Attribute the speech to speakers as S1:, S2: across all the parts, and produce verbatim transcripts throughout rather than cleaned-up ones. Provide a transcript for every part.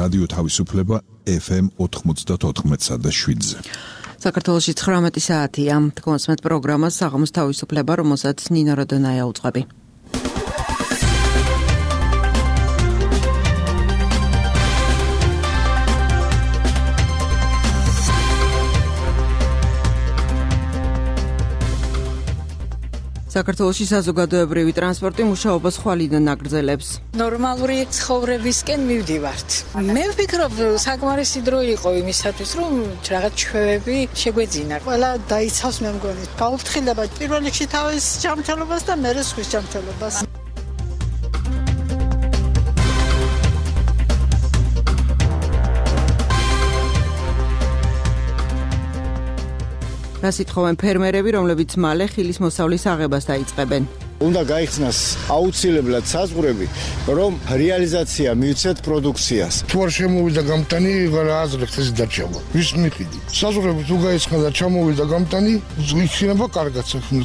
S1: რადიო თავისუფლება ეფ ემ ოთხმოცდაოთხ და შვიდზე.
S2: საქართველოში ცხრამეტი საათია. კონსმეთ პროგრამას საღამოს თავისუფლება, რომელსაც ნინა როდონაია უწყები. საქართველოში საზოგადოებრივი ტრანსპორტი მუშაობას ხვალიდან აგრძელებს.
S3: ნორმალური ცხოვრებისკენ მივდივართ. მე ვფიქრობ, საკმარისი დრო იყო იმისათვის, რომ რაღაც ჩვევები შეგვეძინა.
S4: ყველა დაიცავს მე მგონი. გაუფრთხილება პირველ რიგში თავის ჯანმრთელობას და მერე სხვის ჯანმრთელობას.
S2: რას ითხოვენ ფერმერები, რომლებიც მალე ხილის მოსავლის აღებას დაიწყებენ?
S5: უნდა გაიხსნას აუცილებლად საზღვრები, რომ რეალიზაცია მივცეთ პროდუქციას.
S6: თუ არ შემოვიდა გამტანი, აზრი ხეს დარჩება. ვის მიყიდი? საზღვრები თუ გაიხსნა და ჩამოვიდა გამტანი, იქნება კარგად საქმე.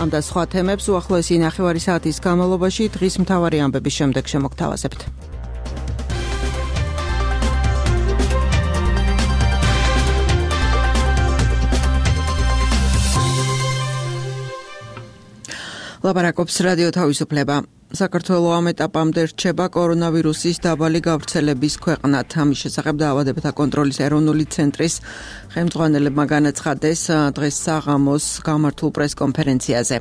S2: ამ და სხვა თემებს უახლოესი ნახევარი საათის განმავლობაში დღის მთავარი ამბების შემდეგ შემოგთავაზებთ. ლაპარაკობს რადიო თავისუფლება. საქართველო ამ ეტაპამდე რჩება კორონავირუსის დაბალი გავრცელების ქვეყნად. ამის შესახებ დაავადებათა კონტროლის ეროვნული ცენტრის ხელმძღვანელებმა განაცხადეს დღეს საღამოს გამართულ პრესკონფერენციაზე.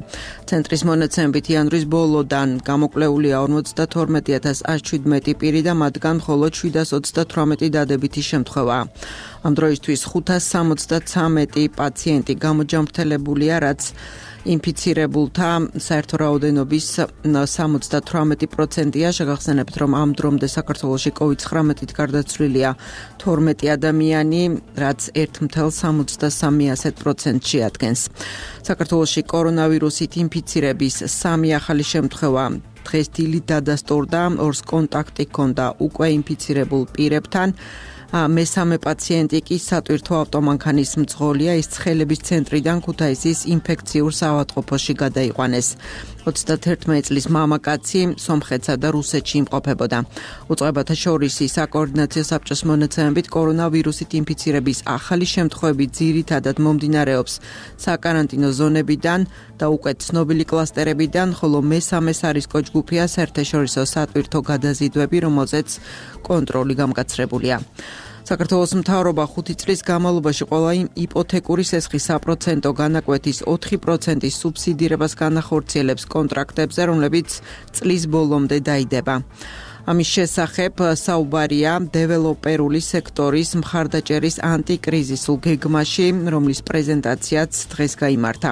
S2: ცენტრის მონაცემებით იანვრის ბოლოდან გამოკვლეულია ორმოცდათორმეტი ათას ათს შვიდმეტი პირი და მათგან მხოლოდ შვიდას ოცდათვრამეტი დადებითი შემთხვევაა. ამ დროისთვის ხუთას სამოცდათვრამეტი პაციენტი გამოჯანმრთელებულია, რაც ინფიცირებულთა საერთო რაოდენობის სამოცდათვრამეტი პროცენტია. შეგახსენებთ, რომ ამ დრომდე საქართველოში კოვიდ ცხრამეტით გარდაცვლილია თორმეტი ადამიანი, რაც ერთ წელს სამოცდასამი პროცენტს შეადგენს. საქართველოში კორონავირუსით ინფიცირების სამი ახალი შემთხვევა დღეს დილით დადასტურდა, ორს კონტაქტი ჰქონდა უკვე ინფიცირებულ პირებთან. მესამე პაციენტი კი სატვირთო ავტომანქანის მძღოლია, ის ცხელების ცენტრიდან ქუთაისის ინფექციურ საავადმყოფოში გადაიყვანეს. ოცდაათერთმეტი წლის მამაკაცი სომხეთსა და რუსეთში იმყოფებოდა. უწყებათა შორის საკოორდინაციო საბჭოს მონაცემებით კორონავირუსით ინფიცირების ახალი შემთხვევები ძირითადად მომდინარეობს საკარანტინო ზონებიდან და უკვე ცნობილი კლასტერებიდან, ხოლო მესამეს არისკო ჯგუფია საერთაშორისო სატვირთო გადაზიდვები, რომელზეც კონტროლი გამკაცრებულია. საქართველოს მთავრობა ხუთი წლის განმავლობაში ყველა იპოთეკური სესხის საპროცენტო განაკვეთის ოთხი პროცენტის სუბსიდირებას განახორციელებს კონტრაქტებზე, რომლებიც წლის ბოლომდე დაიდება. ამის შესახებ საუბარია დეველოპერული სექტორის მხარდაჭერის ანტიკრიზისულ გეგმაში, რომლის პრეზენტაციაც დღეს გაიმართა.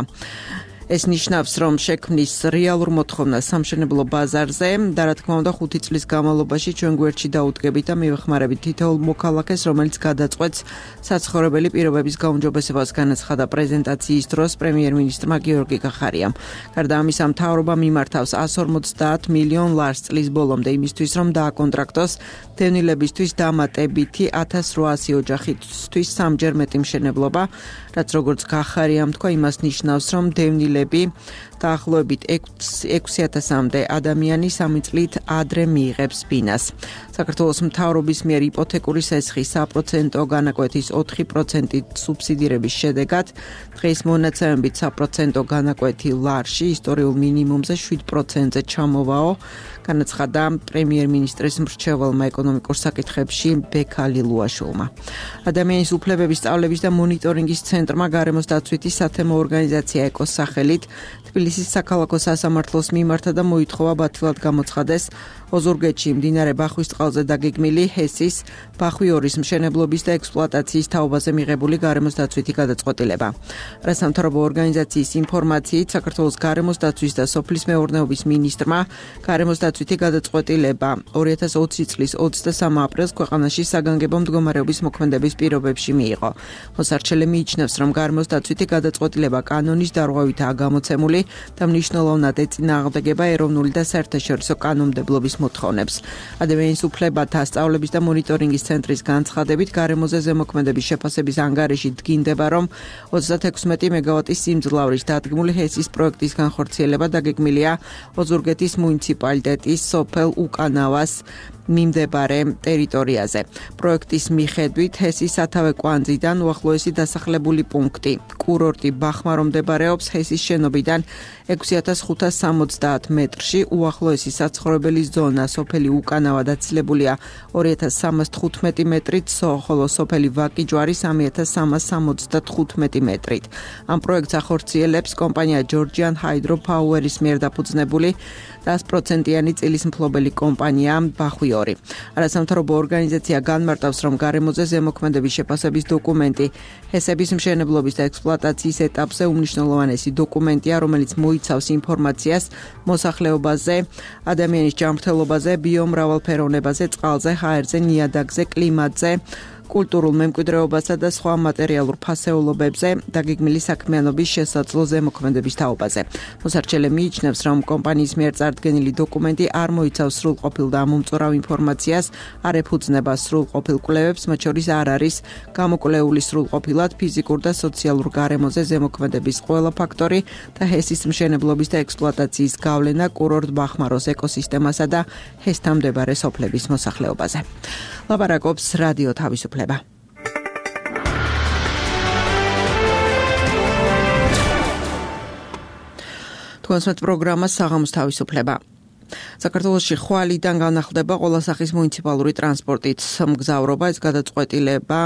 S2: ეს ნიშნავს, რომ შექმნის რეალურ მოთხოვნას სამშენებლო ბაზარზე და რა თქმა უნდა ხუთი წლის განმავლობაში ჩვენ გვერდში დაუდგებით და მივეხმარებით თითოეულ მოქალაქეს, რომელიც გადაწყვეტს საცხოვრებელი პირობების გაუმჯობესებას, განაცხადა პრეზენტაციის დროს პრემიერ-მინისტრმა გიორგი კახარიამ. გარდა ამისა, მთავრობა მიმართავს εκατს ორმოცდაათ მილიონ ლარს წლის ბოლომდე იმისთვის, რომ დააკონტრაქტოს დევნილებისთვის დამატებითი ათას რვაასი ოჯახისთვის სამჯერ მეტი მშენებლობა, რაც როგორც კახარიამ თქვა, იმას ნიშნავს, რომ დევნილები დაახლოებით ექვსი ათასამდე ადამიანი სამი წლით ადრე მიიღებს ბინას. საქართველოს მთავრობის მიერ იპოთეკური სესხის საპროცენტო განაკვეთის ოთხი პროცენტი სუბსიდირების შედეგად დღეს მონაცემებით საპროცენტო განაკვეთი ლარში ისტორიულ მინიმუმზე შვიდ პროცენტზე ჩამოვაო, განაცხადა პრემიერ-მინისტრის მრჩეველმა ეკონომიკურ საკითხებში ბექალი ლუაშულმა. ადამიანის უფლებების სწავლების და მონიტორინგის ცენტრმა გარემოს დაცვითი სათემო ორგანიზაცია ეკოს სახელით თბილისის საქალაქო სასამართლოს მიმართა და მოითხოვა ბათილად გამოცხადეს ოზურგეთში მდინარე ბახვის წყალზე დაგეგმილი ჰესის ბახვი ორის მშენებლობის და ექსპლუატაციის თაობაზე მიღებული გარემოს დაცვითი გადაწყვეტილება. რასამთავრობო ორგანიზაციის ინფორმაციით, საქართველოს გარემოს დაცვის და სოფლის მეურნეობის მინისტრმა გარემოს დაცვითი გადაწყვეტილება ორი ათას ოცი წლის ოცდასამი აპრილს ქვეყანაში საგანგებო მდგომარეობის მოქმედების პირობებში მიიღო. მოსარჩელე მიიჩნევს, რომ გარემოს დაცვითი გადაწყვეტილება კანონის დარღვევითაა გამოცემული და მნიშვნელოვნად ეწინააღმდეგება ეროვნული და საერთაშორისო კანონმდებლობის მოთხოვნებს. ადამიანის უფლებათა სწავლების და მონიტორინგის ცენტრის განცხადებით, გარემოზე ზემოქმედების შეფასების ანგარიში დგინდება, რომ ოცდათექვსმეტი მეგავატის სიმძლავრის დადგმული ჰესის პროექტის განხორციელება დაგეგმილია ოზურგეთის მუნიციპალიტეტის სოფელ უკანავას მიმდებარე ტერიტორიაზე. პროექტის მიხედვით ჰესის სათავე კვანძიდან უახლოესი დასახლებული პუნქტი კურორტი ბახმარო მდებარეობს ჰესის შენობიდან ექვსი ათას ხუთას სამოცდაათ მეტრში, უახლოესი საცხოვრებელი ზონა სოფელი უკანავა დაცილებულია ორი ათას სამას თხუთმეტი მეტრით, ხოლო სოფელი ვაკიჯვარი სამი ათას სამას სამოცდათხუთმეტი მეტრით. ამ პროექტს ახორციელებს კომპანია Georgian Hydro Power-ის მიერ დაფუძნებული sto პროცენტიანი წილის მფლობელი კომპანია ბახვიორი. არასამთავრობო ორგანიზაცია განმარტავს, რომ გარემოზე ზემოქმედების შეფასების დოკუმენტი ჰესების მშენებლობის და ექსპლუატაციის ეტაპზე უმნიშვნელოვანესი დოკუმენტია, რომელიც მოიცავს ინფორმაციას მოსახლეობაზე, ადამიანის ჯანმრთელობაზე, ბიომრავალფეროვნებაზე, წყალზე, ჰაერზე, ნიადაგზე, კლიმატზე, კულტურულ მემკვიდრეობასა და სხვა მატერიალურ ფასეულობებზე დაგეგმილი საქმიანობის შესაძლო ზემოქმედების თაობაზე. მოსარჩელე მიიჩნევს, რომ კომპანიის მიერ წარდგენილი დოკუმენტი არ მოიცავს სრულყოფილ და ამომწურავ ინფორმაციას, არ ეფუძნება სრულყოფილ კვლევებს, მათ შორის არ არის გამოკვლეული სრულყოფილად ფიზიკურ და სოციალურ გარემოზე ზემოქმედების ყველა ფაქტორი და ჰესის მშენებლობის და ექსპლუატაციის გავლენა კურორტ ბახმაროს ეკოსისტემასა და ჰესთან მდებარე სოფლების მოსახლეობაზე. ლაპარაკობს რადიო თავისუფლება. თქვენს პროგრამა საღამოს თავისუფლება. საქართველოში ხვალიდან განახლდება ყველა სახის მუნიციპალური ტრანსპორტით მგზავრობა. ეს გადაწყვეტილება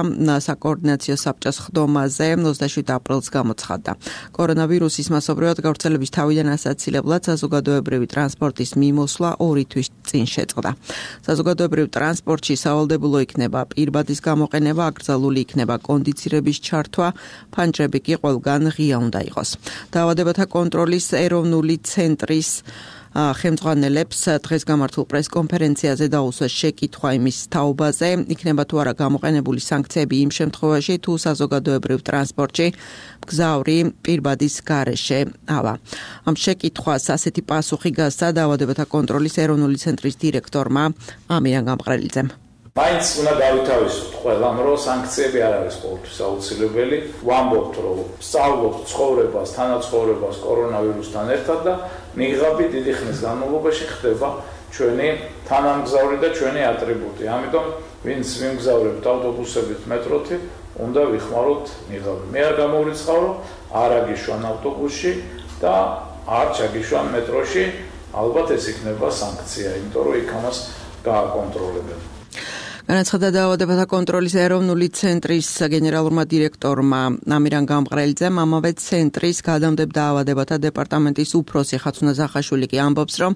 S2: საკოორდინაციო საბჭოს ხდომაზე ოცდაშვიდ აპრილს გამოცხადდა. კორონავირუსის მასობრივად გავრცელების თავიდან ასაცილებლად საზოგადოებრივი ტრანსპორტის მიმოსვლა ორი თვის წინ შეწყდა. საზოგადოებრივ ტრანსპორტში სავალდებულო იქნება პირბადის გამოყენება, აკრძალული იქნება კონდიცირების ჩართვა, ფანჯრები კი ყველგან ღია უნდა იყოს. დაავადებათა კონტროლის ეროვნული ცენტრის ხელმძღვანელებს დღეს გამართულ პრესკონფერენციაზე დაუსვეს შეკითხვა იმის თაობაზე, იქნება თუ არა გამოყენებული სანქციები იმ შემთხვევაში, თუ საზოგადოებრივ ტრანსპორტში მგზავრი პირბადის გარეშე ავა. ამ შეკითხვას ასეთი პასუხი გასცა დაავადებათა კონტროლის ეროვნული ცენტრის დირექტორმა ამირან გამყრელიძემ.
S7: მაინც უნდა გავითავისოთ ყველამ, რომ სანქციები არ არის ყოველთვის აუცილებელი. ვამბობთ, რომ სწავლობთ ცხოვრებას, თანაცხოვრებას კორონავირუსთან ერთად და ნიღაბი დიდი ხნის განმავლობაში ხდება ჩვენი თანამგზავრი და ჩვენი ატრიბუტი. ამიტომ ვინც ვიმგზავრებთ ავტობუსებით, მეტროთი, უნდა ვიხმაროთ ნიღაბი. მე არ გამოვრიცხავ, არ აგიშვან ავტობუსში და არ ჩაგიშვან მეტროში, ალბათ ეს იქნება სანქცია, იმიტომ რომ იქ ამას გააკონტროლებენ.
S2: განაცხადა დაავადებათა კონტროლის ეროვნული ცენტრის გენერალურმა დირექტორმა ამირან გამყრელიძემ. ამავე ცენტრის გადამდებ დაავადებათა დეპარტამენტის უფროსი ხაცუნა ზახაშვილი კი ამბობს, რომ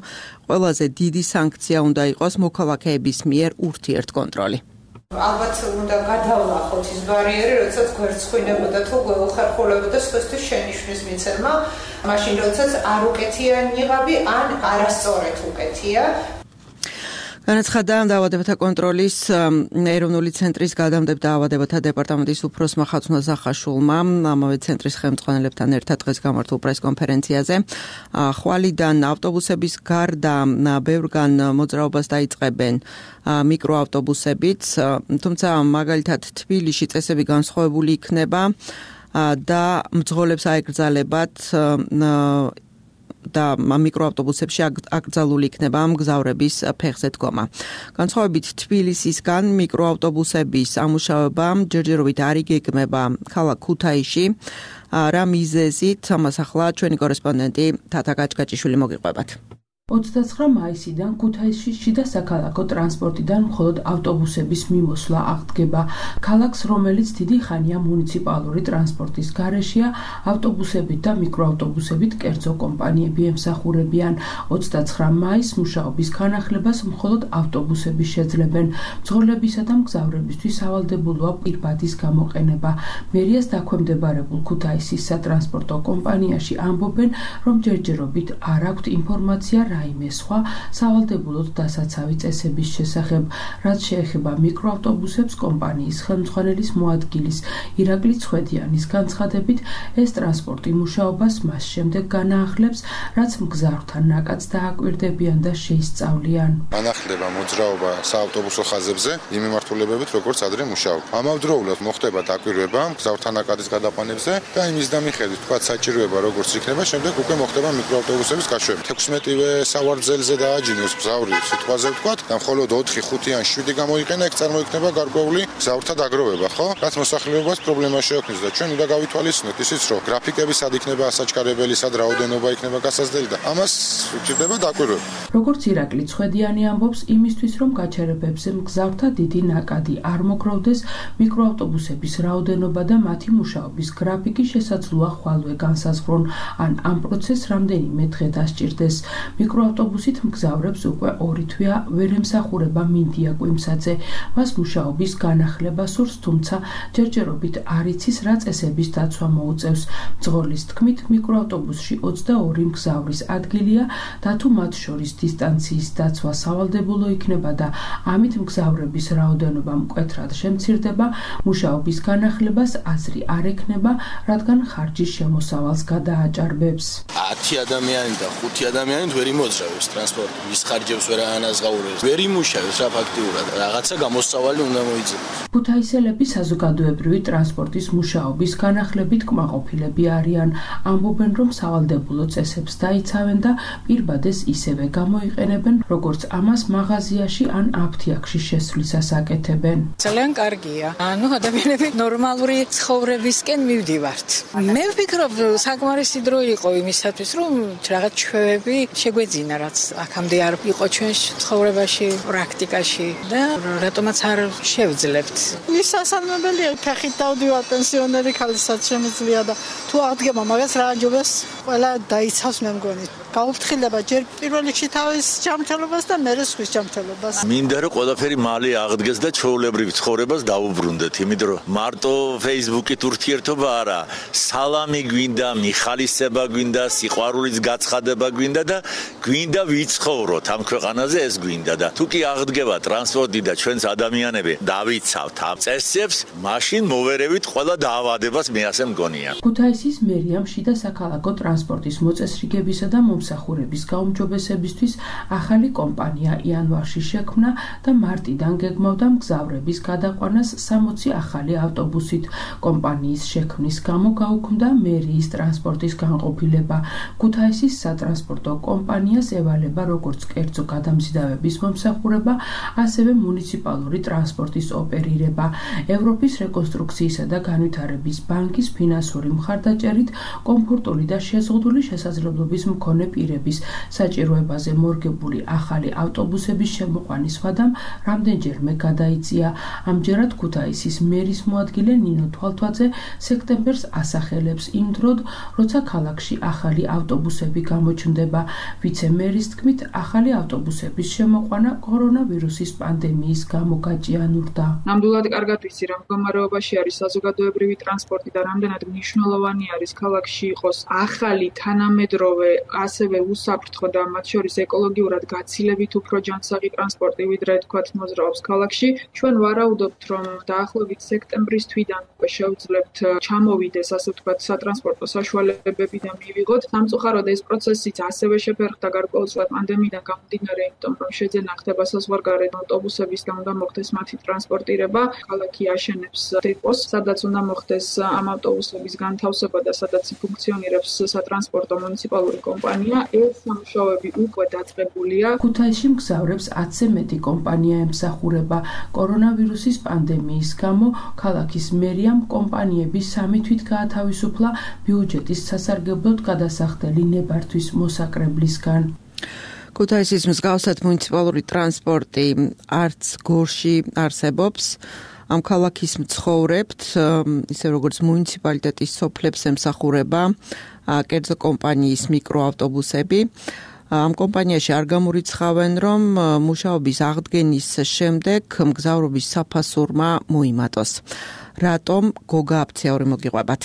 S2: ყველაზე დიდი სანქცია უნდა იყოს მოქალაქეების მიერ ურთიერთკონტროლი.
S8: ალბათ უნდა გადავლახოთ ის ბარიერი, როდესაც გვერდსხვინებოდა თუ გვეუხერხულებოდა სხვისთვის შენიშვნის მიცემა, მაშინ როდესაც არ უკეთია ნიღაბი ან არასწორად უკეთია. განაცხადა დაავადებათა კონტროლის ეროვნული ცენტრის გადამდებ დაავადებათა დეპარტამენტის უფროსმა ხაცუნა ზახაშვილმა ამავე ცენტრის ხელმძღვანელებთან ერთად დღეს გამართულ პრესკონფერენციაზე. ხვალიდან ავტობუსების გარდა ბევრგან მოძრაობას დაიწყებენ მიკროავტობუსებით, თუმცა მაგალითად თბილისში წესები განსხვავებული იქნება და მძღოლებს აეკრძალებათ და მიკროავტობუსებში აკრძალული იქნება მგზავრების ფეხზე დგომა. განსხვავებით თბილისისგან მიკროავტობუსების ამუშავება ჯერჯერობით არ იგეგმება ქალაქ ქუთაისში. რა მიზეზით, ამას ახლა ჩვენი კორესპონდენტი თათა გაჭგაჭიშვილი მოგიყვებათ.
S9: ოცდაცხრა მაისიდან ქუთაისში შიდა საქალაქო ტრანსპორტიდან მხოლოდ ავტობუსების მიმოსვლა აღდგება. ქალაქს, რომელიც დიდი ხანია მუნიციპალური ტრანსპორტის გარეშეა, ავტობუსებით და მიკროავტობუსებით კერძო კომპანიები ემსახურებიან. ოცდაცხრა მაისს მუშაობის განახლებას მხოლოდ ავტობუსები შეძლებენ. მძღოლებისა და მგზავრებისთვის სავალდებულოა პირბადის გამოყენება. მერიას დაქვემდებარებულ ქუთაისის სატრანსპორტო კომპანიაში ამბობენ, რომ ჯერჯერობით არ აქვთ ინფორმაცია რაიმე სხვა სავალდებულოდ დასაცავი წესების შესახებ, რაც შეეხება მიკროავტობუსებს. კომპანიის ხელმძღვანელის მოადგილის ირაკლი ცხვედიანის განცხადებით, ეს ტრანსპორტი მუშაობას მას შემდეგ განაახლებს, რაც მგზავრთან ნაკადს დააკვირდებიან და შეისწავლიან.
S6: განახლდება მოძრაობა საავტობუსო ხაზებზე იმ მიმართულებებით, როგორც ადრე მუშაობ. ამავდროულად მოხდება დაკვირვება მგზავრთან ნაკადის გადაყვანებზე და იმის და მიხედვით, თქვა საჭიროება როგორც იქნება, შემდეგ უკვე მოხდება მიკროავტობუსების გაშვება. თექვსმეტივე სავარძელზე დააჯინოს მგზავრი სიტყვაზე ვთქვა და მხოლოდ ოთხი, ხუთი ან შვიდი გამოიყენა, ეგ წარმოიქმნება გარკვეული მგზავრთა დაგროვება, ხო? რაც მოსახლეობას პრობლემა შეექმნის და ჩვენ უნდა გავითვალისწინოთ ისიც, რომ გრაფიკები სად იქნება ასაჩქარებელი, სად რაოდენობა იქნება გასაზრდელი და ამას უჭირდება დაკვირვება.
S9: როგორც ირაკლი ცხვედიანი ამბობს, იმისთვის რომ გაჩერებებზე მგზავრთა დიდი ნაკადი არ მოგროვდეს, მიკროავტობუსების რაოდენობა და მათი მუშაობის გრაფიკი შესაძლოა ხვალვე განსაზღვრონ, ან ამ პროცესს რამდენიმე დღე დასჭირდეს. მიკროავტობუსით მგზავრებს უკვე ორი თვეა ვერ ემსახურება მინდია კვიმსაძე. მას მუშაობის განახლება სურს, თუმცა ჯერჯერობით არ იცის, რა წესების დაცვა მოუწევს. მძღოლის თქმით, მიკროავტობუსში ოცდაორი მგზავრის ადგილია და თუ მათ შორის დისტანციის დაცვა სავალდებულო იქნება და ამით მგზავრების რაოდენობა მკვეთრად შემცირდება, მუშაობის განახლებას აზრი არ ექნება, რადგან ხარჯის შემოსავალს გადააჭარბებს.
S10: ათი ადამიანი და ხუთი ადამიანი ვერ იმოძრავებს ტრანსპორტი, ის ხარჯებს ვერ ანაზღაურებს, ვერ იმუშავებს რა ფაქტიურად, რაღაცა გამოსავალი უნდა მოიძებოს.
S9: ქუთაისელები საზოგადოებრივი ტრანსპორტის მუშაობის განახლებით კმაყოფილები არიან. ამბობენ, რომ სავალდებულო წესებს დაიცავენ და პირბადეს ისევე გამოიყენებენ, როგორც ამას მაღაზიაში ან აფთიაქში შესვლისას აკეთებენ.
S3: ძალიან კარგია. ანუ ადამიანები ნორმალური ცხოვრებისკენ მივდივართ. მე ვფიქრობ, საკმარისი დრო იყო იმისათვის, რომ რაღაც ჩვევები შეგვეძინა, რაც აქამდე არ იყო ჩვენ ცხოვრებაში, პრაქტიკაში და რატომაც არ შევძლებთ.
S4: ის სასალმებელია, ფეხით დავდივარ პენსიონერი ქალისაც შემიძლია და თუ აღდგება მაგას რა აჯობებს, ყველა დაიცავს მე მგონი. გაუფრთხილდება ჯერ პირველ რიგში თავის ჯანმრთელობას და მერე სხვის ჯანმრთელობას.
S11: მინდა რომ ყველაფერი მალე აღდგეს და ჩვეულებრივ ცხოვრებას დაუბრუნდეთ, იმიტომ რომ მარტო Facebook-ით ურთიერთობა არა, სალამი გვინდა, მიხალისება გვინდა, სიყვარულის გაცხადება გვინდა და გვინდა ვიცხოვროთ ამ ქვეყანაზე, ეს გვინდა და თუ კი აღდგება ტრანსპორტი და ჩვენს ადამიანები დავიცავთ ამ წესებს, მაშინ მოვერევით ყველა დაავადებას, მე ასე მგონია.
S9: ქუთაისის მერიამ შიდა საქალაქო ტრანსპორტის მოწესრიგებისა და მომსახურების გაუმჯობესებისთვის ახალი კომპანია იანვარში შექმნა და მარტიდან გეგმავდა მგზავრების გადაყვანას სამოცი ახალი ავტობუსით. კომპანიის შექმნის გამო გაუქმდა მერიის ტრანსპორტის განყოფილება. ქუთაისის სატრანსპორტო კომპანიას ევალება როგორც კერძო გადამზიდავების მომსახურება, ასევე მუნიციპალური ტრანსპორტის ოპერირება. ევროპის რეკონსტრუქციისა და განვითარების ბანკის ფინანსური მხარდაჭერით კომფორტული და შეზღუდული შესაძლებლობის მქონე პირების საჭიროებაზე მორგებული ახალი ავტობუსების შემოყვანის ვადამ რამდენჯერმე გადაიწია. ამჯერად ქუთაისის მერის მოადგილე ნინო თვალთვაძე სექტემბერს ასახელებს იმ დროდ, როცა ქალაქში ახალი ავტობუსები გამოჩნდება. ვიცე-მერის თქმით, ახალი ავტობუსების შემოყვანა კორონავირუსის პანდემიის გამო გაჭიანურდა.
S12: ნამდვილად კარგად ვიცი, რა მდგომარეობაში არის საზოგადოებრივი ტრანსპორტი და რამდენად მნიშვნელოვანი არის ქალაქში იყოს ახალი თანამედროვე, ასევე უსაფრთხო და მათ შორის ეკოლოგიურად გაცილებით უფრო ჯანსაღი ტრანსპორტი, ვიდრე თქვათ მოძრაობს ქალაქში. ჩვენ ვარაუდობთ, რომ დაახლოებით სექტემბრის თვიდან უკვე შევძლებთ ჩამოვიდეს, ასე ვთქვათ, სატრანსპორტო საშუალებები და მივიღოთ. სამწუხაროდ ეს პროცესიც ასევე შეფერხდა გარკვეულწილად პანდემიიდან გამომდინარე, იმიტომ რომ შეძენა ხდება საზღვარგარეთ ავტობუსების და უნდა მოხდეს მათი ტრანსპორტირება. ქალაქი აშენებს დეპოს, სადაც უნდა მოხდეს ამ ავტობუსების განთავსება და სადაც ფუნქციონირებს სატრანსპორტო მუნიციპალური კომპანია. ეს სამუშაოები უკვე დაწყებულია.
S9: ქუთაისში მგზავრებს ათზე მეტი კომპანია ემსახურება. კორონავირუსის პანდემიის გამო ქალაქის მერიამ კომპანიების სამი თვით გაათავისუფლა ბიუჯეტის სასარგებლოდ გადასახდელი ნებართვის მოსაკრებლისგან.
S2: ქუთაისის მსგავსად მუნიციპალური ტრანსპორტი არც გორში არსებობს. ამ ქალაქის მცხოვრებთ, ისე როგორც მუნიციპალიტეტის სოფლებს ემსახურება კერძო კომპანიის მიკროავტობუსები. ამ კომპანიაში არ გამორიცხავენ, რომ მუშაობის აღდგენის შემდეგ მგზავრობის საფასურმა მოიმატოს. რატომ? გოგა აფცეური მოგიყვებათ.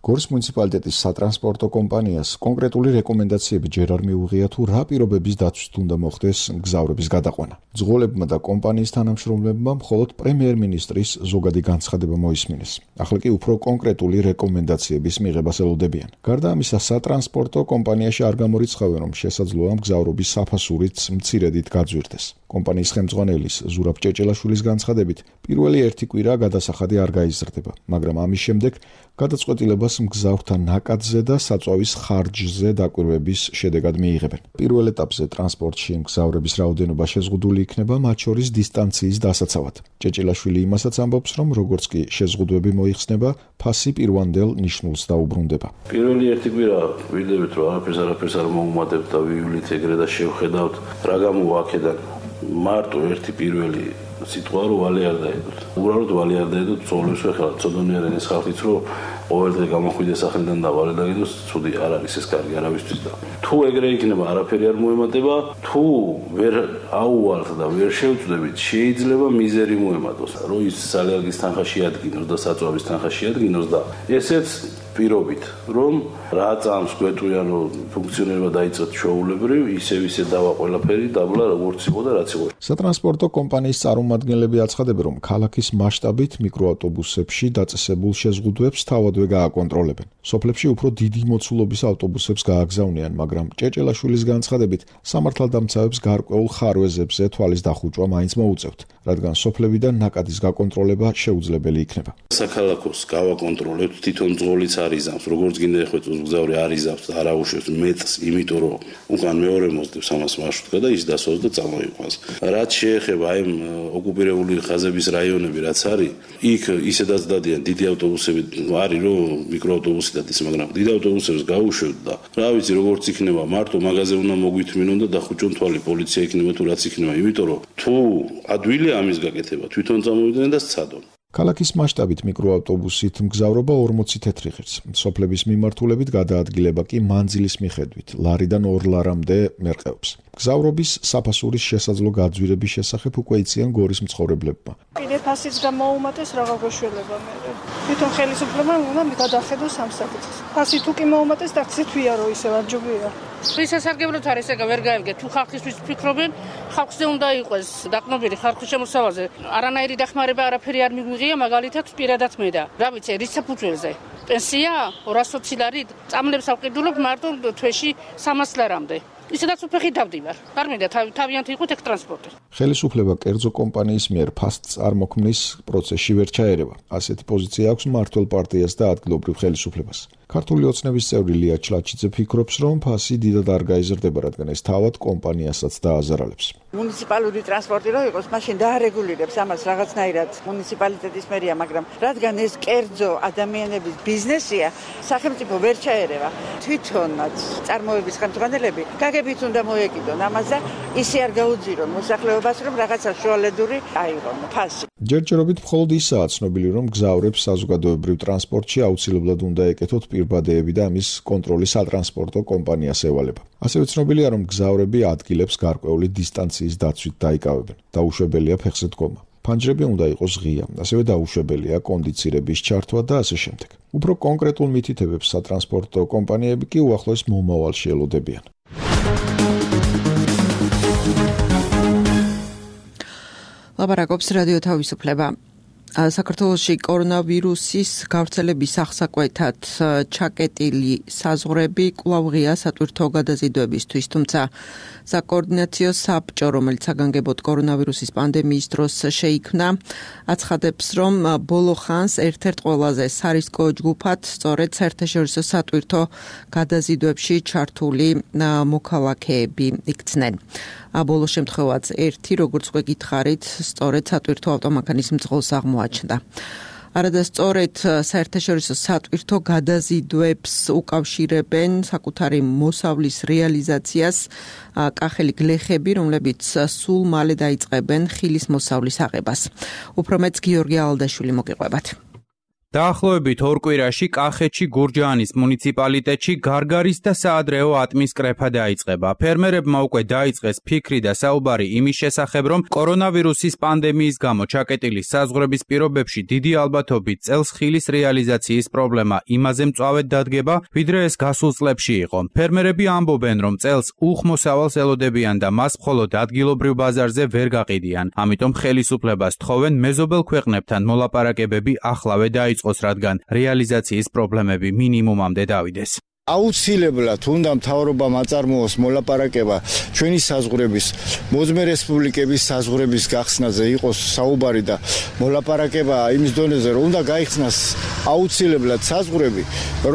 S1: გორის მუნიციპალიტეტის სატრანსპორტო კომპანიას კონკრეტული რეკომენდაციები ჯერ არ მიუღია თუ რა პირობების დაცვით უნდა მოხდეს მგზავრების გადაყვანა. მძღოლებმა და კომპანიის თანამშრომლებმა მხოლოდ პრემიერ-მინისტრის ზოგადი განცხადება მოისმინეს. ახლა კი უფრო კონკრეტული რეკომენდაციების მიღებას ელოდებიან. გარდა ამისა, სატრანსპორტო კომპანიაში არ გამორიცხავენ, რომ შესაძლოა მგზავრობის საფასურიც მცირედით გაძვირდეს. კომპანიის ხელმძღვანელის ზურაბ ჭეჭელაშვილის განცხადებით, პირველი ერთი კვირა გადასახადი არ გაიზრდება, მაგრამ ამის შემდეგ გადაწყვეტილებას მგზავრთა ნაკადზე და საწვავის ხარჯზე დაკვირვების შედეგად მიიღებენ. პირველ ეტაპზე ტრანსპორტში მგზავრების რაოდენობა შეზღუდული იქნება, მათ შორის დისტანციის დასაცავად. ჭეჭელაშვილი იმასაც ამბობს, რომ როგორც კი შეზღუდვები მოიხსნება, ფასი პირვანდელ ნიშნულს დაუბრუნდება.
S13: პირველი ერთი კვირა ვიდებით, რომ არაფერს არაფერს არ მოუმატებთ და ვივლით ეგრე და შევხედავთ, რა გამოვა აქედან. მარტო ერთი პირველი სიტყვა რომ ვალი არ დაედოთ. უბრალოდ ვალი არ დაედოთ, წოლებს ვეხლა ცოდნიერენ ეს ხალხიც რომ ყოველდღე გამოხვიდეს სახლიდან და ვალი დაედოს, ცუდი არ არის ეს კარგი არავისთვის და თუ ეგრე იქნება არაფერი არ მოემატება, თუ ვერ აუვალთ და ვერ შევწდებით, შეიძლება მიზერი მოემატოს. რომ ის სალერგის თანხა შეადგინოს და საწვავის თანხა შეადგინოს და ესეც პირობით, რომ რა წამს გვეტყვიან, რომ ფუნქციონირება დაიწყეთ ჩვეულებრივ, ისევ ისე დავა ყველაფერი დაბლა როგორც იყო და რაც იყო.
S1: სატრანსპორტო კომპანიის წარმომადგენლები აცხადებენ, რომ ქალაქის მასშტაბით მიკროავტობუსებში დაწესებულ შეზღუდვებს თავადვე გააკონტროლებენ. სოფლებში უფრო დიდი მოცულობის ავტობუსებს გააგზავნიან, მაგრამ ჭეჭელაშვილის განცხადებით, სამართალდამცავებს გარკვეულ ხარვეზებზე თვალის დახუჭვა მაინც მოუწევთ, რადგან სოფლებიდან ნაკადის გაკონტროლება შეუძლებელი იქნება.
S13: საქალაქოს გავაკონტროლებთ, თვითონ ძღოლიც არიზამს, როგორც გინდა ეხვეწოს მგზავრი არიზამს და არ აუშვებს მეტს, იმიტომ რომ უკან მეორე მოსდევს ამას მარშრუტკა და ის დასვას და წამოიყვანს. რაც შეეხება აი ოკუპირებული ხაზების რაიონები, რაც არის, იქ ისედაც დადიან დიდი ავტობუსები, არის რომ მიკროავტობუსი დადის, მაგრამ დიდ ავტობუსებს გაუშვებთ და რა ვიცი, როგორც იქნება, მარტო მაღაზე უნდა მოგვითმინონ და დახუჭონ თვალი, პოლიცია იქნება თუ რაც იქნება, იმიტომ რომ თუ ადვილია ამის გაკეთება, თვითონ წამოვიდნენ და სცადონ.
S1: ქალაქის მასშტაბით მიკროავტობუსით მგზავრობა ორმოცი თეთრი ღირს. სოფლების მიმართულებით გადაადგილება კი მანძილის მიხედვით, ლარიდან ორ ლარამდე მერყეობს. მგზავრობის საფასურის შესაძლო გაძვირების შესახებ უკვე იციან გორის მცხოვრებლებმა.
S4: კიდე ფასიც გამოუმატეს, რაღა გვეშველება მე. თვითონ ხელისუფლებამ უნდა გადახედოს ამ საკითხს. ფასი თუ კი მოუმატეს, ტაქსით ვიარო ისევ არ ჯობია.
S14: ის სასარგებლოდ არის ეგა ვერ გაევგე თუ ხალხისთვის ფიქრობენ, ხალხზე უნდა იყოს დაყნობილი ხალხის შემოსავალზე. არანაირი დახმარება არაფერი არ მიგვიღია, მაგალითად პირადად მე და რა ვიცი, რის საფუძველზე. პენსია ორას ოცი ლარი, წამლებს ავყიდულობ მარტო თვეში სამას ლარამდე. ისედაც უფეხით დავდივარ. არ მინდა თავიანთი იყოთ ეგ ტრანსპორტი.
S1: ხელისუფლება კერძო კომპანიის მიერ ფასს წარმოქმნის პროცესში ვერ ჩაერევა. ასეთი პოზიცია აქვს მმართველ პარტიას და ადგილობრივ ხელისუფლებას. ქართული ოცნების წევრი ლია ჩლაჩიძე ფიქრობს, რომ ფასი დიდად არ გაიზრდება, რადგან ეს თავად კომპანიასაც დააზარალებს.
S15: მუნიციპალური ტრანსპორტი რო იყოს, მაშინ დაარეგულირებს ამას რაღაცნაირად მუნიციპალიტეტის მერია, მაგრამ რადგან ეს კერძო ადამიანების ბიზნესია, სახელმწიფო ვერ ჩაერევა. თვითონაც წარმოების ხელმძღვანელები გაგებით უნდა მოეკიდონ ამას და ისე არ გაუძირონ მოსახლეობას, რომ რაღაცა შუალედური აიღონ ფასი.
S1: ჯერჯერობით მხოლოდ ისაა ცნობილი, რომ მგზავრებს საზოგადოებრივ ტრანსპორტში აუცილებლად უნდა ეკეთოთ პირბადეები და ამის კონტროლი სატრანსპორტო კომპანიას ევალება. ასევე ცნობილია, რომ მგზავრები ადგილებს გარკვეული დისტანციის დაცვით დაიკავებენ. დაუშვებელია ფეხზე დგომა. ფანჯრები უნდა იყოს ღია, ასევე დაუშვებელია კონდიცირების ჩართვა და ასე შემდეგ. უფრო კონკრეტულ მითითებებს სატრანსპორტო კომპანიები კი უახლოეს მომავალში ელოდებიან.
S2: ლაპარაკობს რადიო თავისუფლება. საქართველოში კორონავირუსის გავრცელების აღსაკვეთად ჩაკეტილი საზღვრები კვლავ ღია სატვირთო გადაზიდვებისთვის, თუმცა საკოორდინაციო საბჭო, რომელიც საგანგებოდ კორონავირუსის პანდემიის დროს შეიქმნა, აცხადებს, რომ ბოლო ხანს ერთ-ერთ ყველაზე სარისკო ჯგუფად სწორედ საერთაშორისო სატვირთო გადაზიდვებში ჩართული მოქალაქეები იქცნენ. ბოლო შემთხვევაც ერთი, როგორც უკვე გითხარით, სწორედ სატვირთო ავტომანქანის მძღოლს აღმოაჩნდა. არადასწორად საერთაშორისო სატვირთო გადაზიდვებს უკავშირებენ საკუთარი მოსავლის რეალიზაციას კახელი გლეხები, რომლებიც სულ მალე დაიწყებენ ხილის მოსავლის აღებას. უფრო მეც გიორგი ალდაშვილი მოგიყვებათ.
S16: დაახლოებით ორ კვირაში კახეთში გურჯაანის მუნიციპალიტეტში გარგარის და საადრეო ატმის კრეფა დაიწყება. ფერმერებმა უკვე დაიწყეს ფიქრი და საუბარი იმის შესახებ, რომ კორონავირუსის პანდემიის გამო ჩაკეტილი საზღვრების პირობებში დიდი ალბათობით წელს ხილის რეალიზაციის პრობლემა იმაზე მწვავედ დადგება, ვიდრე ეს გასულ წლებში იყო. ფერმერები ამბობენ, რომ წელს უხმოსავალს ელოდებიან და მას მხოლოდ ადგილობრივ ბაზარზე ვერ გაყიდიან. ამიტომ ხელისუფლებას თხოვენ მეზობელ ქვეყნებთან მოლაპარაკებები ახლავე დაიწყოს, რადგან რეალიზაციის პრობლემები მინიმუმამდე დავიდეს.
S5: აუცილებლად უნდა მთავრობამ აწარმოოს მოლაპარაკება ჩვენი საზღვრების მოძმე რესპუბლიკების საზღვრების გახსნაზე იყოს საუბარი და მოლაპარაკება იმის დონეზე რომ უნდა გაიხსნას აუცილებლად საზღვრები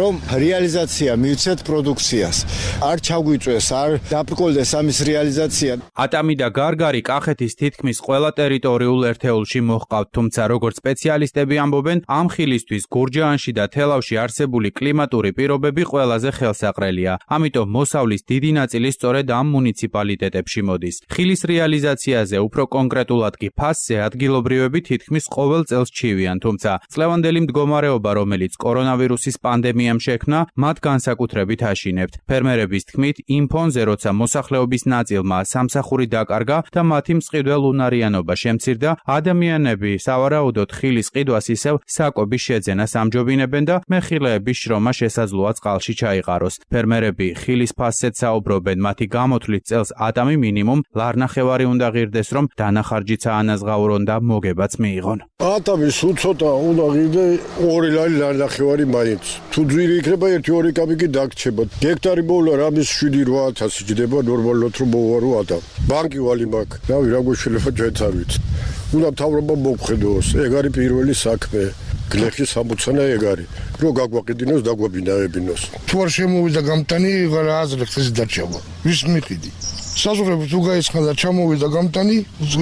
S5: რომ რეალიზაცია მივცეთ პროდუქციას არ ჩაგვიწვეს არ დაბრკოლდეს ამის რეალიზაცია.
S16: ატამი და გარგარი კახეთის თითქმის ყველა ტერიტორიულ ერთეულში მოჰყავთ, თუმცა როგორც სპეციალისტები ამბობენ, ამ ხილისთვის გურჯაანში და თელავში არსებული კლიმატური პირობები ყველა ხელსაყრელია. ამიტომ მოსავლის დიდი ნაწილი სწორედ ამ მუნიციპალიტეტებში მოდის. ხილის რეალიზაციაზე უფრო კონკრეტულად კი ფასზე ადგილობრივები თითქმის ყოველ წელს ჩივიან, თუმცა წლევანდელი მდგომარეობა, რომელიც კორონავირუსის პანდემიამ შექმნა, მათ განსაკუთრებით აშინებთ. ფერმერების თქმით, იმ ფონზე, როცა მოსახლეობის ნაწილმა სამსახური დაკარგა და მათი მწყიდველ უნარიანობა შემცირდა, ადამიანები სავარაუდოდ ხილის ყიდვას ისევ საკობის შეძენას ამჯობინებენ და მეხილეების შრომა შესაძლოა წყალში ჩაიყაროს. ფერმერები ხილის ფასზეც საუბრობენ, მათი გამოთვლით წელს ატამი მინიმუმ ლარნახევარი უნდა ღირდეს, რომ დანახარჯიც აანაზღაურონ და მოგებაც მიიღონ.
S17: ატამის უცოტა უნდა ღირდე ორი ლარნახევარი მაინც. თუ ძვირი იქნება ერთი ორი კაპიკი დაგრჩება. გექტარი მოვლა რამის შვიდი რვა ათასი ჯდება ნორმალურად რომ მოვარო ატამ. ბანკი ვალი მაქვს. რავი რა გვეშლება ჩვენც არ ვიცით. უნდა მთავრობა მოგხედოს. ეგ არის პირველი საქმე. გლეხის სამოცანა ეგ არის. რო გაგვაყიდინოს, დაგვაბინავებინოს.
S18: თუ არ შემოვიდა გამტანი, რა აზრით ეს დარჩება. ვის მიყიდი? საზღვრები თუ გაიცხნა და ჩამოვიდა გამტანი,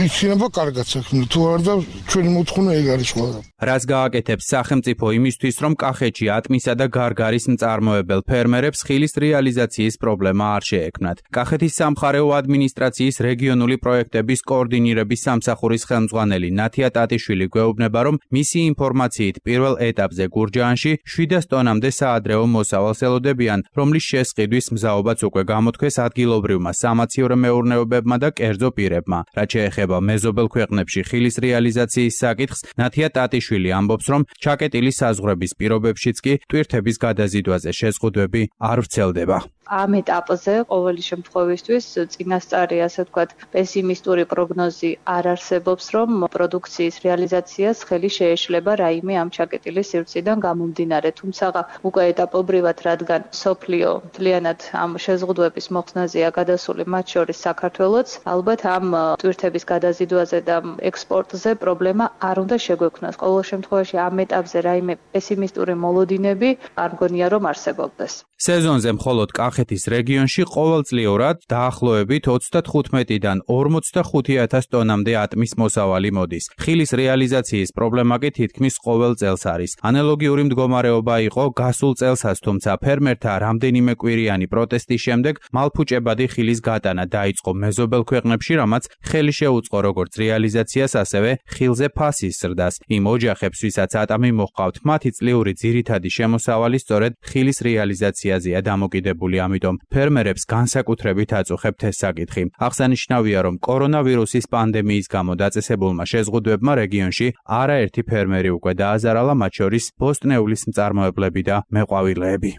S18: იქნება კარგად საქმე. თუ არ და ჩვენი მოთხოვნა ეგ არის ყველა.
S16: რას გააკეთებს სახელმწიფო იმისთვის, რომ კახეთში ატმისა და გარგარის მწარმოებელ ფერმერებს ხილის რეალიზაციის პრობლემა არ შეექმნათ. კახეთის სამხარეო ადმინისტრაციის რეგიონული პროექტების კოორდინირების სამსახურის ხელმძღვანელი ნათია ტატიშვილი გვეუბნება, რომ მისი ინფორმაციით პირველ ეტაპზე გურჯაანში შვიდას ტონამდე საადრეო მოსავალს ელოდებიან, რომლის შესყიდვის მზაობაც უკვე გამოთქვეს ადგილობრივმა სამაციო მეურნეობებმა და კერძო პირებმა. რაც შეეხება მეზობელ ქვეყნებში ხილის რეალიზაციის საკითხს, ნათია ტატიშვილი ამბობს, რომ ჩაკეტილი საზღვრების პირობებშიც კი ტვირთების გადაზიდვაზე შეზღუდვები არ ვრცელდება.
S19: ამ ეტაპზე ყოველი შემთხვევისთვის წინასწარი, ასე ვთქვათ, პესიმისტური პროგნოზი არ არსებობს, რომ პროდუქციის რეალიზაციას ხელი შეეშლება რაიმე ამ ჩაკეტილი სივრციდან გამომდინარე. თუმცა უკვე ეტაპობრივად, რადგან სოფლიო მთლიანად ამ შეზღუდვების მოხსნაზეა გადასული, მათ შორის საქართველოც, ალბათ ამ ტვირთების გადაზიდვაზე და ექსპორტზე პრობლემა არ უნდა შეგვექმნას. ყოველ შემთხვევაში ამ ეტაპზე რაიმე პესიმისტური მოლოდინები არ მგონია რომ არსებობდეს.
S16: სეზონზე მხოლოდ კახეთის რეგიონში ყოველწლიურად დაახლოებით ოცდათხუთმეტიდან ორმოცდახუთი ათას ტონამდე ატმის მოსავალი მოდის. ხილის რეალიზაციის პრობლემა კი თითქმის ყოველ წელს არის. ანალოგიური მდგომარეობა იყო გასულ წელსაც, თუმცა ფერმერთა რამდენიმე კვირიანი პროტესტის შემდეგ მალფუჭებადი ხილის გატანა დაიწყო მეზობელ ქვეყნებში, რამაც ხელი შეუწყო როგორც რეალიზაციას, ასევე ხილზე ფასის ზრდას. იმ ოჯახებს, ვისაც ატამი მოჰყავთ, მათი წლიური ძირითადი შემოსავალი სწორედ ხილის რეალიზაციაზეა დამოკიდებული, ამიტომ ფერმერებს განსაკუთრებით აწუხებთ ეს საკითხი. აღსანიშნავია, რომ კორონავირუსის პანდემიის გამო დაწესებულმა შეზღუდვებმა რეგიონში არაერთი ფერმერი უკვე დააზარალა, მათ შორის ბოსტნეულის მწარმოებლები და მეყვავილეები.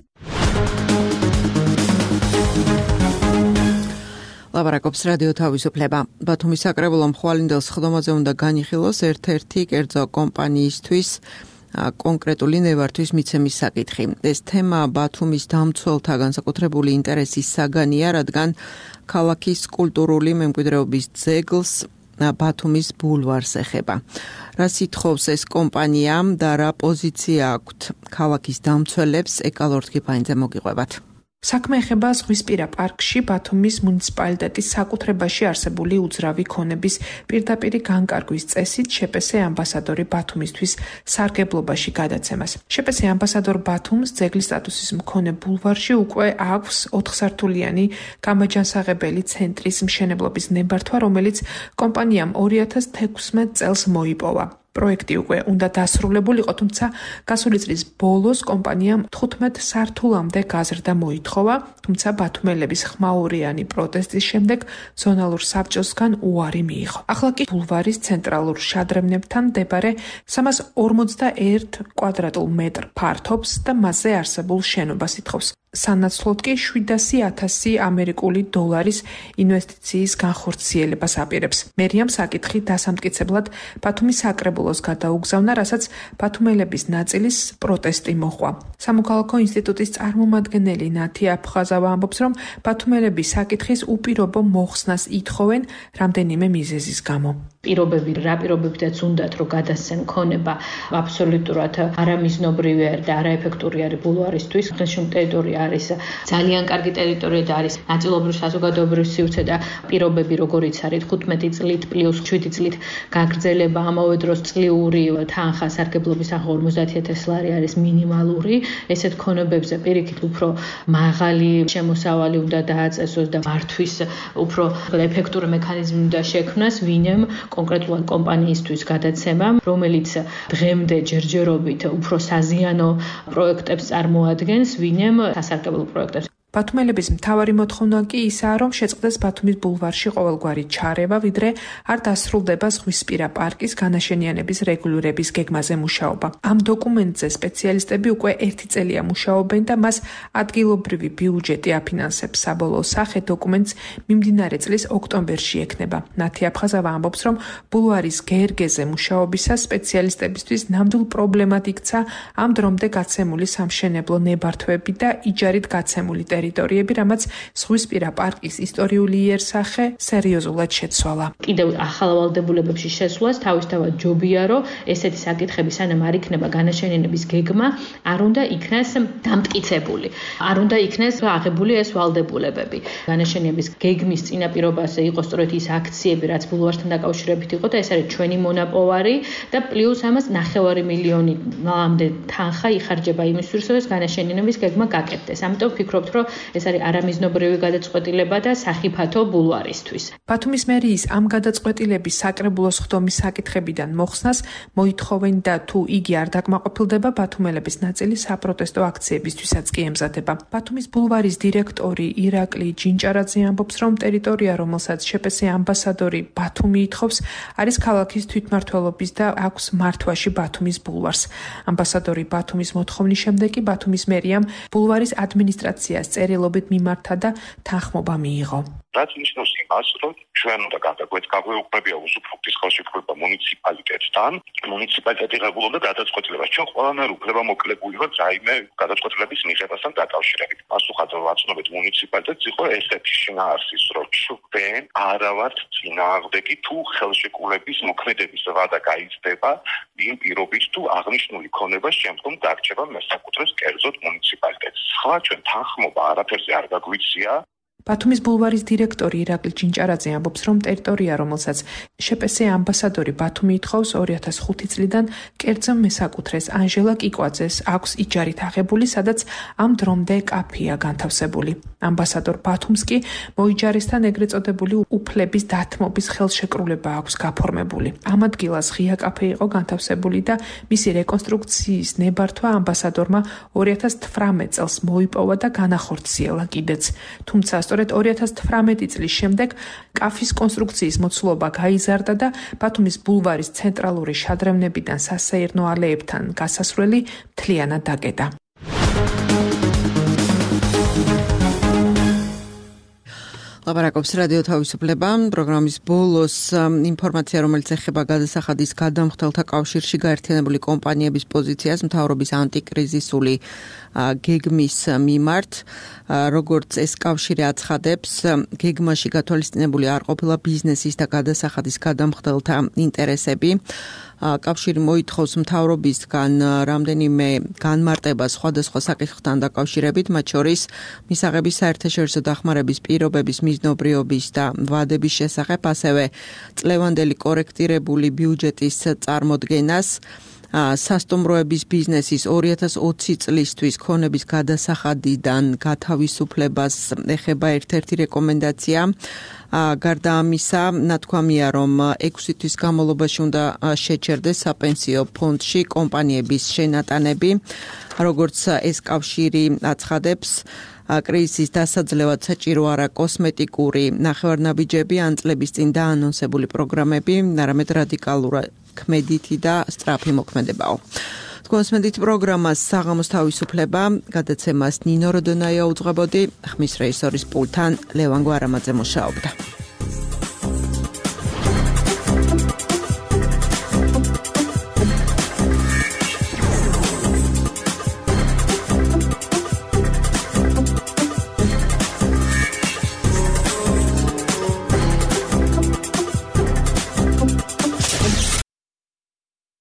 S2: ლაპარაკობს რადიო თავისუფლება. ბათუმის საკრებულო მხვალინდელ სხდომაზე უნდა განიხილოს ერთ-ერთი კერძო კომპანიისთვის კონკრეტული ნევართვის მიცემის საკითხი. ეს თემა ბათუმის დამცველთა განსაკუთრებული ინტერესის საგანია, რადგან ქალაქის კულტურული მემკვიდრეობის ძეგლს ბათუმის ბულვარს ეხება. რა სითხოვს ეს კომპანია და რა პოზიცია აქვთ ქალაქის დამცველებს, ეკალორ თქიფანიძე მოგიყვებათ.
S12: საქმე ეხება ზღვისპირა პარკში ბათუმის მუნიციპალიტეტის საკუთრებაში არსებული უძრავი ქონების პირდაპირი განკარგვის წესით შეპესე ამბასადორი ბათუმისთვის სარგებლობაში გადაცემას. შეპესე ამბასადორ ბათუმს ძეგლის სტატუსის მქონე ბულვარში უკვე აქვს ოთხსართულიანი გამაჯანსაღებელი ცენტრის მშენებლობის ნებართვა, რომელიც კომპანიამ ორი ათას თექვსმეტ წელს მოიპოვა.
S9: პროექტი უკვე უნდა დასრულებულიყო, თუმცა გასული წლის ბოლოს კომპანიამ თხუთმეტ სართულამდე გაზრდა მოითხოვა, თუმცა ბათუმელების ხმაურიანი პროტესტის შემდეგ ზონალურ საბჭოსგან უარი მიიღო. ახლა კი ბულვარის ცენტრალურ შადრევნებთან მდებარე სამას ორმოცდაერთ კვადრატულ მეტრ ფართობს და მასზე არსებულ შენობას ითხოვს. სანაცვლოდ კი შვიდასი ათასი ამერიკული დოლარის ინვესტიციის განხორციელებას აპირებს. მერიამ საკითხი დასამტკიცებლად ბათუმის საკრებულოს გადაუგზავნა, რასაც ბათუმელების ნაწილის პროტესტი მოჰყვა. სამოქალაქო ინსტიტუტის წარმომადგენელი ნათი აფხაზავა ამბობს, რომ ბათუმელები საკითხის უპირობო მოხსნას ითხოვენ რამდენიმე მიზეზის გამო.
S20: პირობები რა პირობებითაც უნდათ რომ გადასცენ ქონება აბსოლუტურად არამიზნობრივი და არაეფექტური არის ბულვარისთვის. დღეშემ ტერიტორია არის ძალიან კარგი ტერიტორია და არის ნაწილობრივ საზოგადოებრივ სივრცე და პირობები როგორიც არის თხუთმეტი წლით პლუს შვიდი წლით გაგრძელება, ამავე დროს წლიური თანხა სარგებლობის ახლა ორმოცდაათი ათასი ლარი არის მინიმალური. ესეთ ქონებებზე პირიქით უფრო მაღალი შემოსავალი უნდა დააწესოს და მართვის უფრო ეფექტური მექანიზმი უნდა შექმნას, ვინემ კონკრეტულად კომპანიისთვის გადაცემა, რომელიც დღემდე ჯერჯერობით უფრო საზიანო პროექტებს წარმოადგენს, ვინემ სასარგებლო პროექტებს.
S9: ბათუმელების მთავარი მოთხოვნა კი ისაა, რომ შეწყდეს ბათუმის ბულვარში ყოველგვარი ჩარევა, ვიდრე არ დასრულდება ზღვისპირა პარკის განაშენიანების რეგულირების გეგმაზე მუშაობა. ამ დოკუმენტზე სპეციალისტები უკვე ერთი წელია მუშაობენ და მას ადგილობრივი ბიუჯეტი აფინანსებს. საბოლოო სახე დოკუმენტს მიმდინარე წლის ოქტომბერში ექნება. ნათი აფხაზავა ამბობს, რომ ბულვარის გერგეზე მუშაობისას სპეციალისტებისთვის ნამდვილ პრობლემად იქცა ამ დრომდე გაცემული სამშენებლო ნებართვები და იჯარით გაცემული ტერიტორიები, რამაც ზღვისპირა პარკის ისტორიული იერსახე სერიოზულად შეცვალა.
S20: კიდევ ახალ ვალდებულებებში შესვლას თავისთავად ჯობია, რომ ესეთი საკითხები სანამ არ იქნება განაშენიანების გეგმა, არ უნდა იქნას დამტკიცებული. არ უნდა იქნას აღებული ეს ვალდებულებები. განაშენიანების გეგმის წინაპირობაზე იყოს სწორედ ის აქციები, რაც ბულვართან დაკავშირებით იყო და ეს არის ჩვენი მონაპოვარი და პლუს ამას ნახევარი მილიონამდე თანხა იხარჯება იმისთვის, რომ ეს განაშენიანების გეგმა გაკეთდეს. ამიტომ ვფიქრობთ, რომ ეს არის არამიზნობრივი გადაწყვეტილება და სახიფათო ბულვარისთვის.
S9: ბათუმის მერიის ამ გადაწყვეტილების საკრებულოს ხდომის საკითხებიდან მოხსნას მოითხოვენ და თუ იგი არ დაკმაყოფილდება, ბათუმელების ნაწილი საპროტესტო აქციებისთვისაც კი ემზადება. ბათუმის ბულვარის დირექტორი ირაკლი ჯინჭარაძე ამბობს, რომ ტერიტორია, რომელსაც შეპესე ამბასადორი ბათუმი ითხოვს, არის ქალაქის თვითმმართველობის და აქვს მართვაში ბათუმის ბულვარს. ამბასადორი ბათუმის მოთხოვნის შემდეგ კი ბათუმის მერიამ ბულვარის ადმინისტრაციას წერილობით მიმართა და თანხმობა მიიღო.
S21: რაც ნიშნავს იმას, რომ ჩვენ უნდა გაგვეუქმებია უსუფრუქტის ხელშეკრულება მუნიციპალიტეტთან, მუნიციპალიტეტი ღებულობდა გადაწყვეტილებას. ჩვენ ყველანაირ უფლებამოკლებულები ვართ რაიმე გადაწყვეტილების მიღებასთან დაკავშირებით. პასუხად ვაცნობთ მუნიციპალიტეტს იყო ესეთი შინაარსის, რომ ჩვენ არა ვართ წინააღმდეგი თუ ხელშეკრულების მოქმედების ვადა გაიზრდება იმ პირობით თუ აღნიშნული ქონება შემდგომ დარჩება მესაკუთრეს კერძოდ მუნიციპალიტეტს. სხვა ჩვენ თანხმობა არაფერზე არ გაგვიცია.
S9: ბათუმის ბულვარის დირექტორი ირაკლი ჯინჭარაძე ამბობს, რომ ტერიტორია, რომელსაც შეპესე ამბასადორი ბათუმი ითხოვს ორი ათას ხუთი წლიდან კერძო მესაკუთრეს ანჟელა კიკვაძეს აქვს იჯარით აღებული, სადაც ამ დრომდე კაფეა განთავსებული. ამბასადორ ბათუმს კი მოიჯარესთან ეგრეთ წოდებული უფლების დათმობის ხელშეკრულება აქვს გაფორმებული. ამ ადგილას ღია კაფე იყო განთავსებული და მისი რეკონსტრუქციის ნებართვა ამბასადორმა ორი ათას თვრამეტ წელს მოიპოვა და განახორციელა კიდეც. თუმცა სწორედ ორი ათას თვრამეტი წლის შემდეგ კაფის კონსტრუქციის მოცულობა გაიზარდა და ბათუმის ბულვარის ცენტრალური შადრევნებიდან სასეირნო ალეებთან გასასვლელი მთლიანად დაკეტა.
S2: ლაპარაკობს რადიო თავისუფლება. პროგრამის ბოლოს ინფორმაცია, რომელიც ეხება გადასახადის გადამხდელთა კავშირში გაერთიანებული კომპანიების პოზიციას მთავრობის ანტიკრიზისული გეგმის მიმართ, როგორც ეს კავშირი აცხადებს, გეგმაში გათვალისწინებული არ ყოფილა ბიზნესის და გადასახადის გადამხდელთა ინტერესები. კავშირი მოითხოვს მთავრობისგან რამდენიმე განმარტება სხვადასხვა საკითხთან დაკავშირებით, მათ შორის მისაღების საერთაშორისო დახმარების პირობების მიზნობრიობის და ვადების შესახებ, ასევე წლევანდელი კორექტირებული ბიუჯეტის წარმოდგენას. სასტუმროების ბიზნესის ორი ათას ოცი წლისთვის ქონების გადასახადიდან გათავისუფლებას ეხება ერთ-ერთი რეკომენდაცია. გარდა ამისა, ნათქვამია, რომ ექვსი თვის განმავლობაში უნდა შეჩერდეს საპენსიო ფონდში კომპანიების შენატანები, როგორც ეს კავშირი აცხადებს. კრიზისის დასაძლევად საჭირო არა კოსმეტიკური ნახევარნაბიჯები ან წლების წინ დაანონსებული პროგრამები, არამედ რადიკალური ქმედითი და სწრაფი მოქმედებაო. კონსმედით პროგრამას საღამოს თავისუფლება გადაცემას ნინო როდონაია უძღვებოდი, ხმის რეჟისორის პულტთან ლევან გვარამაძე მუშაობდა.